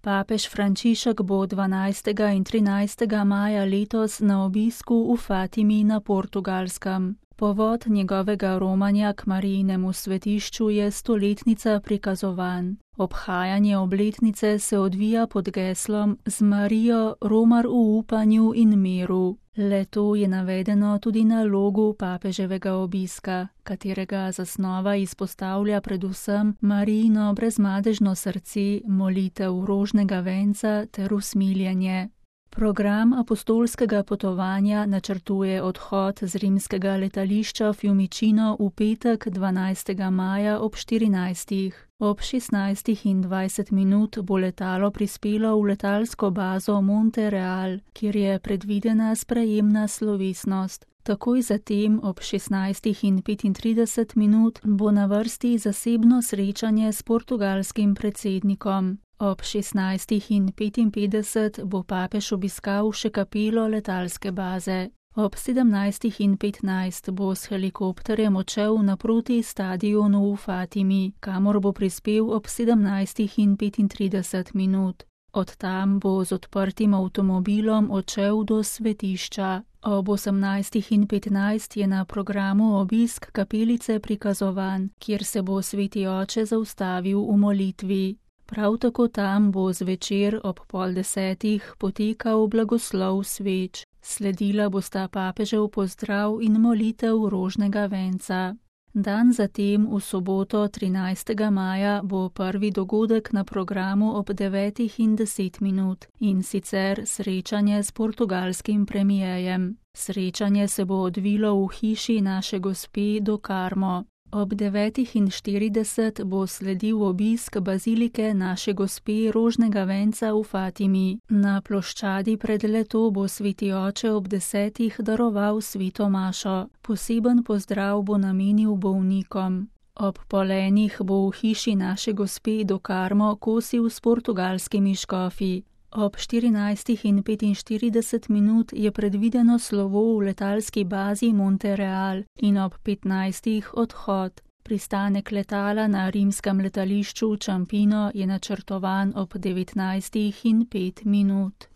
Papež Frančišek bo 12. in 13. maja letos na obisku v Fatimi na Portugalskem. Povod njegovega romanja k Marijinemu svetišču je stoletnica prikazovanj. Obhajanje obletnice se odvija pod geslom Z Marijo romar v upanju in miru. Le-to je navedeno tudi na logu papeževega obiska, katerega zasnova izpostavlja predvsem Marijino brezmadežno srce, molitev rožnega venca ter usmiljenje. Program apostolskega potovanja načrtuje odhod z rimskega letališča Fiumicino v petek 12. maja ob 14. Ob 16:20 bo letalo prispelo v letalsko bazo Monte-Real, kjer je predvidena sprejemna slovesnost. Takoj zatem ob 16:35 bo na vrsti zasebno srečanje s portugalskim predsednikom. Ob 16:55 bo papež obiskal še kapelo letalske baze. Ob 17:15 bo s helikopterjem odšel naproti stadionu v Fatimi, kamor bo prispel ob 17:35. Od tam bo z odprtim avtomobilom odšel do svetišča. Ob 18:15 je na programu obisk kapelice prikazovan, kjer se bo sveti oče zaustavil v molitvi. Prav tako tam bo zvečer ob 9:30 potekal blagoslov sveč. Sledila bosta papežev pozdrav in molitev rožnega venca. Dan zatem, v soboto 13. maja, bo prvi dogodek na programu ob 9:10 in sicer srečanje s portugalskim premijejem. Srečanje se bo odvilo v hiši Naše Gospe do Carmo. Ob 9:40 bo sledil obisk bazilike Naše Gospe rožnega venca v Fatimi. Na ploščadi pred le-to bo sveti oče ob 10 daroval sveto mašo. Poseben pozdrav bo namenil bolnikom. Ob polenih bo v hiši Naše Gospe do Carmo kosil s portugalskimi škofi. Ob 14:45 je predvideno slovo v letalski bazi Monte-Real in ob 15. odhod. Pristanek letala na rimskem letališču Ciampino je načrtovan ob 19:05.